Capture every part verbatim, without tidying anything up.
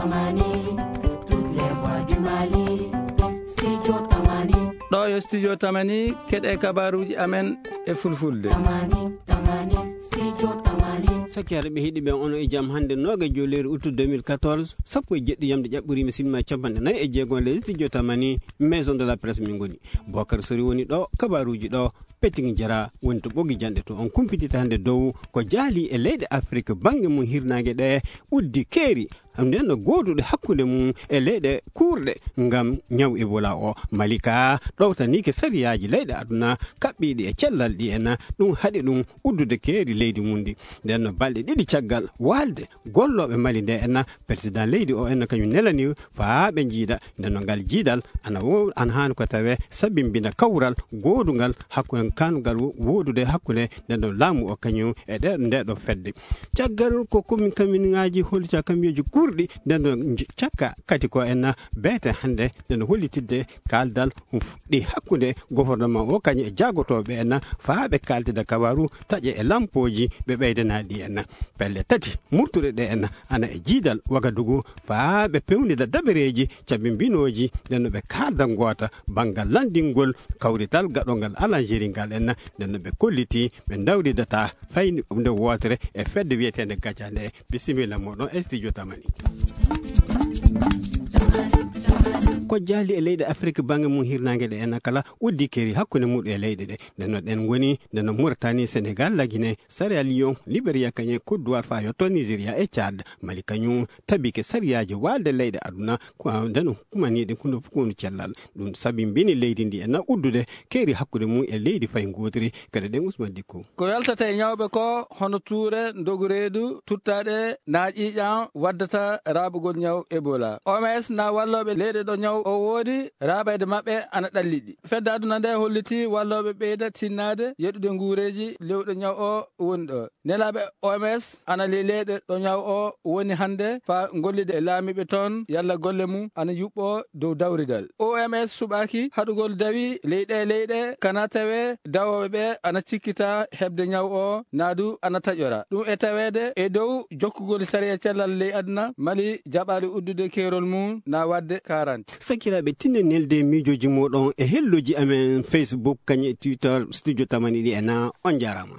Tamani, toutes les voix du Mali. Studio Tamani. Ɗo yo Studio Tamani, keɗe kabaruuji amen e fulfulde. Tamani, Tamani, Studio Tamani. Sakiraaɓe heɗiiɓe, onon e jam. Hannde noogajo lewru août deux mille quatorze, sappo e jeɗɗi yamde ƴaɓɓoriima simma capanɗe nayi e jeego, le Studio Tamani, Maison de la Presse min ngoni. Bokar Sori woni ɗo, kabaruuji ɗo, Peting Jara woni to ɓogi janɗe to. On kumpitita hannde dow ko jaali e leyɗe Afrik bannge mum hirnaange ɗe, uddi keeri. Nden no gooduɗe hakkunde mum e leyɗe kuurɗe ngam ñaw Ebola o. Malika ɗowtaniike sariyaaji leyɗe aduna kaɓɓiiɗi e cellal ɗi en. Ɗum haɗi ɗum uddude keeri leydi mum ndi. Nden no balɗe ɗiɗi caggal waalde gollooɓe Mali nde en, président leydi o en kañum nelani faa ɓe njiida. Nden no ngal jiidal ana wo-, ana haani ko tawee sabimbina kawral goodungal hakkunde, kanugal wo-, woodude hakkunde nden no laamu o kañum e ɗe, nde ɗo fedde. Caggal ko komin kamiŋaaji hollita kamiyoji kurɗi, nden no nj-, cakka kadi ko en beete hannde, nden no hollitidde kaaldal ɗi hakkunde gouvernement o kañum e jaagotooɓe en faa ɓe kaaltida kabaru taƴe e lampooji ɓe ɓeydanaɗi en. Pelle tati murtuɗe ɗe en ana e jiidal Wagadugu faa ɓe pewnida dabareeji cabimbinooji, nden no ɓe kaalda ngoota banngal lanndingol kawrital gaɗongal Alanjeri ngal en, nden no ɓe kolliti ɓe ndawridata fayni nde wootere e fedde wiyeteende Gaja nde. Bisimilla moɗon e studio Tamani. Ko jaali e leyɗe Afrik bannge mum hirnaange ɗe en kala uddi keeri hakkunde muɗum e leyɗe ɗe. Nden no ɗen ngoni, nden no Mauritanie, Sénégal, la Guinée, Sierra Leone, Liberia, kañum e Côte d'Ivoire faa yotto Nigeria e Tchad. Mali kañum tabike sariyaaji waalde leyɗe aduna, ko nden no kumaniiɗe kuno fof ko woni cellal. Ɗum sabimbini leydi ndi e na uddude keeri hakkunde mum e leydi fay ngootiri. Kadi ɗen Ousmane Dicko. Ko yaltata e ñawɓe ko hono tuure, ndogu reedu, tuttaaɗe, naaƴiiƴam waddata raaɓugol ñaw Ebola. O M S na wallooɓe leyɗe ɗo ñaw o woodi raaɓayde maɓɓe ana ɗalliti. Fedde aduna nde holliti wallooɓe ɓeyda tinnaade yeɗude nguureeji lewɗo ñaw o woni ɗo. Nelaaɓe O M S ana ley leyɗe ɗo ñaw o woni hannde faa gollida e laamiiɓe toon yalla golle mum ana yuɓɓoo dow dawridal. O M S suɓaaki haɗugol dawi ley ɗee leyɗe, kana tawee dawooɓe ɓe ana cikkita heɓde ñaw o, naa du ana taƴora. Ɗum e taweede e dow jokkugol sariya cellal ley aduna, Mali jaɓaali uddude keerol mum na waɗde quarante. Sakiraaɓe, tinno nelde miijooji mooɗon e helloji amen Facebook, kañum e Twitter, Studio Tamani ɗi e na. On njaaraama.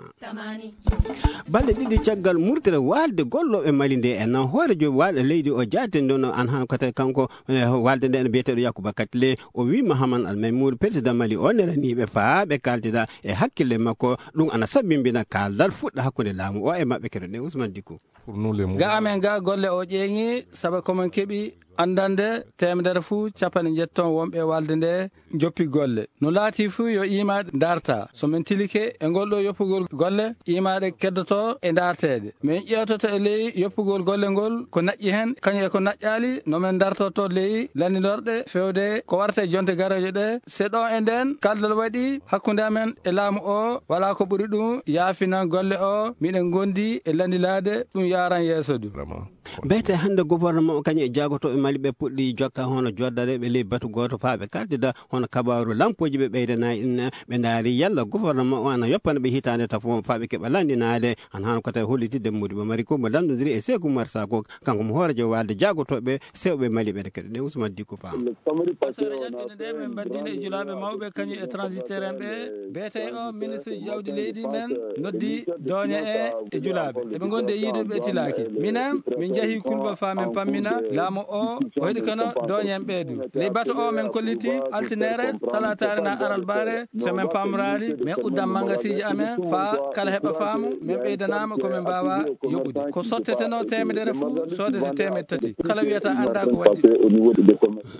Balɗe ɗiɗi caggal murtere waalde gollooɓe Mali nde en, hooreejo waalde leydi o jaatee nden no an han kate kanko, eh, waalde nde en biyeteeɗo Yakuba Katle, o wii Mahaman Al Maymoud, président Mali o, neraniiɓe faa ɓe kaaltida e hakkille makko, ɗum ana sabimbina kaaldal fuɗɗa hakkunde laamu o e maɓɓe. Keɗoɗen Ousmane Dicko. Ga amen ga golle o ƴeeŋi, saba ko men keɓi anndande teemedere fuu capanɗe njetti wonɓe waalde nde joppi golle. No laati fuu yo iimaaɗe ndarta. So men tilike e ngol ɗo yoppugol golle, iimaaɗe keddoto e ndarteede. Men ƴeewtoto e ley yoppugol golle ngol ko naƴƴi hen, kañum e ko naƴƴaali, no men ndartoto ley lanndinorde feewde ko warata e jonte garoje ɗe. Se ɗo e nden kaldal waɗi hakkunde amen e laamu o, wala ko ɓuri ɗum yaafinan golle o, miɗen ngondi e lanndilaade ɗum yaaran yeeso du. Beete hannde gouvernement o kañum e jaagotooɓe Mali ɓe puɗɗi jokka hono joddareeɓe ley batu gooto faa ɓe kaaltida hono kabaaru lampooji ɓe ɓeydanayi en, ɓe ndaari yalla gouvernement o ana yoppana ɓe hitaande tafo faa ɓe keɓa lanndinaade. Hano hano ko tawi hollitidde Modibo Mari ko mo lanndondiri e Seeku Umar Sako, kanko mo hooreejo waalde jaagotooɓe sewɓe Mali ɓe. Keɗoɗen Ousmane Dicko Fam. Asara ƴattinde nde min mbaddinde e julaaɓe mawɓe kañum e transitaire en ɓe, beete o ministre jawdi leydi men noddi dooñe e e julaaɓe. Eɓe ngondi e yiidude ɓe tilaaki. Minen, min njahi Kulba faa min pammina laamu o, o heɗi kono dooñen ɓeydu. Ley bato o min kolliti altinere, talataare na aralbaare, so min pamraali, min uddan mangasiiji amen faa kala heɓa faamu, min ɓeydanaama ko min mbaawa yoɓude. Ko sotteteno teemedere fuu, soodete teemedde tati. Kala wiyata anndaa ko waɗi.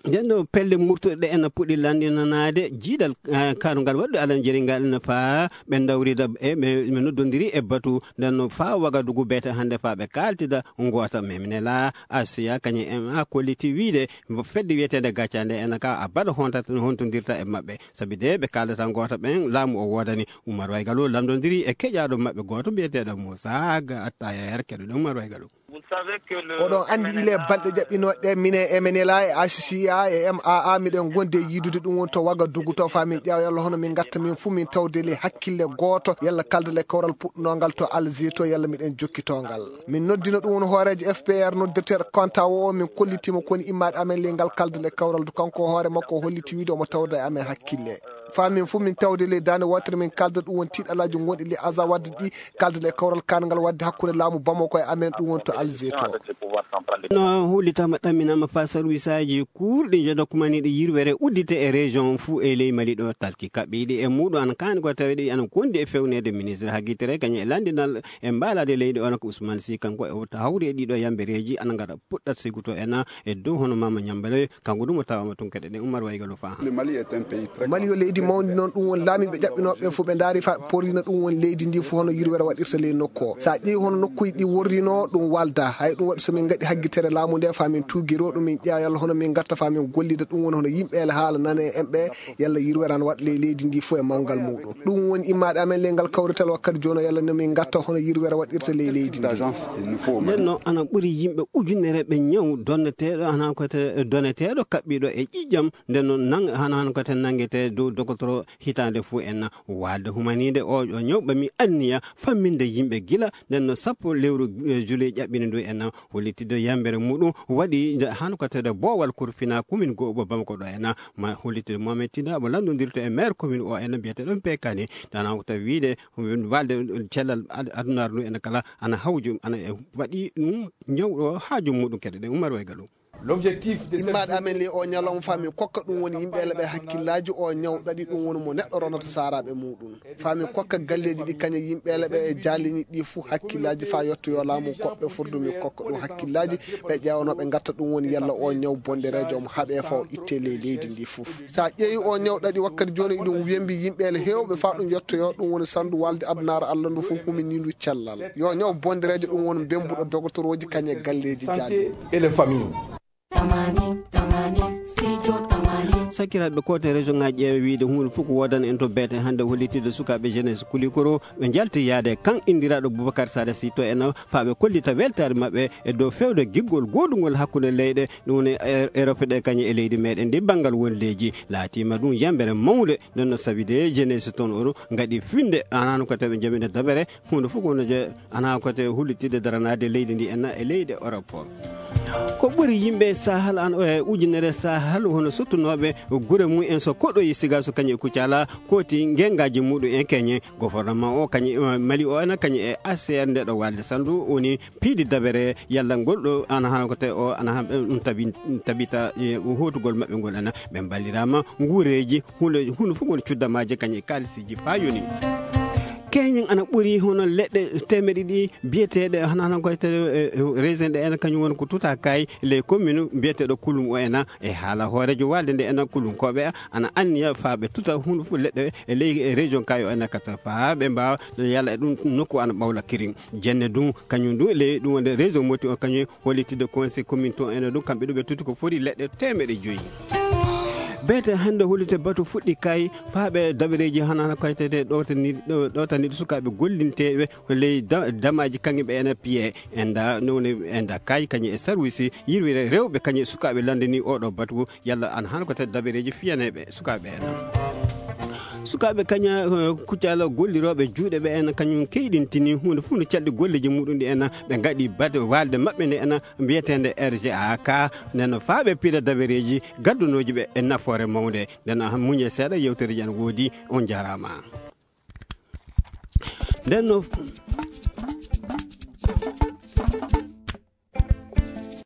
Nden ɗo pelle murtuɗe ɗe ena puɗi lanndinanaade jiidal, eh, kaarugal waɗde alanjeri ngal ene faa ɓe ndawrida e ɓe, ɓe noddondiri e batu nden no faa Wagadugu beete hannde faa ɓe kaaltida ngoota. Memnela Asiya kañum en a kolliti wiide mbo fedde wiyeteende Gaccande ena ka a baɗa honta-, hontondirta e maɓɓe. Sabi de ɓe kaaldata ngoota ɓen laamu o woodani. Umar Waygalo lamndondiri e keƴaaɗo maɓɓe gooto mbiyeteeɗo Moussa Ga Attayer. Keɗoɗen Umar Waygalo. Oɗon anndi ile balɗe ƴaɓɓinooɗe ɗe, minen e M N L A e H C A e M A A, miɗen ngondi e yiidude ɗum woni to Wagadugu to, faa min ƴeewa yalla hono min ngatta min fuu min tawde le hakkille gooto, yalla kalde le kawral puɗɗunoo ngal to Alger to, yalla miɗen jokkitoo ngal. Min noddino ɗum woni hooreejo F P R noddirteeɗo Konta o, min kollitiima ko woni immaade amen ley ngal kalde le kawral, kanko hoore makko o holliti wiide omo tawda e amen hakkille. Faa min fuu min tawde ley daande wootere, min kalda ɗum woni tiiɗalaaji gonɗi ley Azawad ɗi, kalda le kawral kaangal waɗde hakkunde laamu Bamako e amen, ɗum woni to Alger to. No hollitaama, ɗamminaama faa sarwisaaji kuurɗi njodokumaniiɗi yirwere uddite e région fuu e ley Mali ɗo, talki kaɓɓiiɗi e muuɗum ana kaani ko taweɗi ana kondi e fewneede ministre hagitere kañum e lanndinal e mbaalaade leydi on ko Ousmane Sy, kanko e o hawri e ɗiɗo yambereeji ana ngara puɗɗat siguto en e dow hono Mama Ñambale, kanko ɗum o tawaama tun kadi ɗen Umar Waygalo faa. Mali yo leydi mawndi noon, ɗum woni laamiiɓe ƴaɓɓinooɓe ɓe fof ɓe ndaari faa ɓe porrina ɗum woni leydi ndi fof hono yirwere waɗirta ley nokku o. So a ƴeewi hono nokkuuji ɗi worrinoo ɗum walda, hay ɗum waɗi so min ngaɗi haggitere laamu nde faa min tuugiroo ɗum, min ƴeewa yalla hono min ngatta faa min gollida ɗum woni hono yimɓe ele haala nane en ɓe, yalla yirwere ana waɗa ley leydi ndi fof e mawgal muuɗum. Ɗum woni immaade amen ley ngal kawrital wakkati jooni o, yalla no min ngatta hono yirwere waɗirta ley leydi ndi. Nden no ana ɓuri yimɓe ujunere ɓe ñaw donneteeɗo, ana ko te-, donneteeɗo kaɓɓiiɗo e ƴiƴam, nden no nang-, hana, hana ko te nanngete dow dogotoro hitaande fuu en waalde humaniinde o, o ñaw ɓami anniya famminde yimɓe gila nden no sappo lewru, eh, juillet ƴaɓɓini ndu en hollitide yambere muɗum waɗi nde hano ko tawde boowal kurfina commune goo ɓo Bamako ɗo en ma hollitide Mohamed Tinda mo lanndondirto e maire commune o en mbiyeteɗon Pekani tan ko tawi wiide waalde cellal ad-, adunaaru ndu en kala ana hawju ana e waɗi ɗum ñawɗo haaju muɗum kadi ɗen Umar Waygalu. Immaade amen ley o ñalawma faa min kokka ɗum woni yimɓe ele ɓe hakkillaaji o ñaw ɗaɗi ɗum woni mo neɗɗo ronata saaraaɓe muɗum. Faa min kokka galleeji ɗi kañe yimɓe ele ɓe e jaalini ɗi fuu hakkillaaji faa yottoyoo laamu koɓɓe furdu min kokka ɗum hakkillaaji ɓe ƴeewanoo ɓe ngatta ɗum woni yalla o ñaw bondereejo omo haɓee faa o ittee ley leydi ndi fuu. So a ƴeewi o ñaw ɗaɗi wakkati jooni iɗum wembi yimɓe ele heewɓe faa ɗum yottoyoo ɗum woni sandu waalde adunaaru Allah ndu fuu humini ndu cellal. Yo ñaw bondereejo ɗum woni bembuɗo dogotorooji kañe galleeji jaalini. Tamani, tamani, studio tamani. Sakiraaɓe koote région ŋaaji ƴeewe wiide huunde fof ko woodani en to beete hannde hollitide sukaaɓe jeunesse Kulikoro ɓe njalti yaade kan inndiraaɗo Boubacar Sada Sy to en faa ɓe kollita weltaare maɓɓe e dow fewde giggol goodungol hakkunde leyɗe ɗum woni e-, Europe ɗe kañe e leydi meɗen ndi banngal wondeeji laatiima ɗum yambere mawnde nden no sabi de jeunesse toon o ngaɗi finde anano ko tawi ɓe jabina dabere huunde fof ko wonde ana ko te hullitide daranaade leydi ndi enna e leyɗe Europe. Ko ɓuri yimɓe Sahel an, e ujunere Sahel hono sottunooɓe gure mum en so koɗoyi siga so kañum e Kucala kooti ngengaaji muɗum en keñe. Gouvernement o kañum e Mali o ena kañum e A C R nde ɗo walde sandu woni piidi dabere yalla ngol ɗo ana hano ko te o ana han ɗum tabi-, tabita e hootugol maɓɓe ngol ena ɓe mballiraama nguureeji hunde, hunde fof woni cuddamaaji kañum e kaalisiiji faa yoni. Keñen ana ɓuri hono leɗɗe teemeɗe ɗiɗi biyeteeɗe hana hana ko te, e, e, raisin ɗe ena kañum woni ko tuta kay ley commune biyeteeɗo Kulum o ena e haala hooreejo walde nde ena Kulum koɓe ana anniya faa ɓe tuta hunde fof leɗɗe e ley e région kay o ena kata faa ɓe mbaawa yalla e ɗum nokku ana ɓawla kirin. Jenne ɗum kañum ɗum ley ɗum wonde région Moti o kañum hollitde conseil commune to ene ɗum kamɓe ɗum ɓe tuti ko foti leɗɗe teemeɗe joyi. Beete hannde hollite batu fuɗɗi kay faaɓe dabareeji hana hana kaytede ɗowtani-, ɗo-, ɗowtaniiɗo sukaaɓe gollinteeɓe ley da-, damaaji kañum ɓe ene piye enda nowne enda kay kañum e sarwisi yirwire rewɓe kañum e sukaaɓe lanndani oɗo batu yalla an hano ko tawi dabareeji fiyaneeɓe sukaaɓe ena. Sukaaɓe kaña, eh, kuccala gollirooɓe juuɗe ɓe en kañum keyɗintini huunde fof no calɗi golleeji muɗum ɗi en ɓe ngaɗi bate waalde maɓɓe nde en mbiyeteende R G A ka nden no faaɓe piida dabereeji gaddunooji ɓe e nafoore mawnde nden muñe seeɗa yewtereeji an woodi on njaaraama. Nden no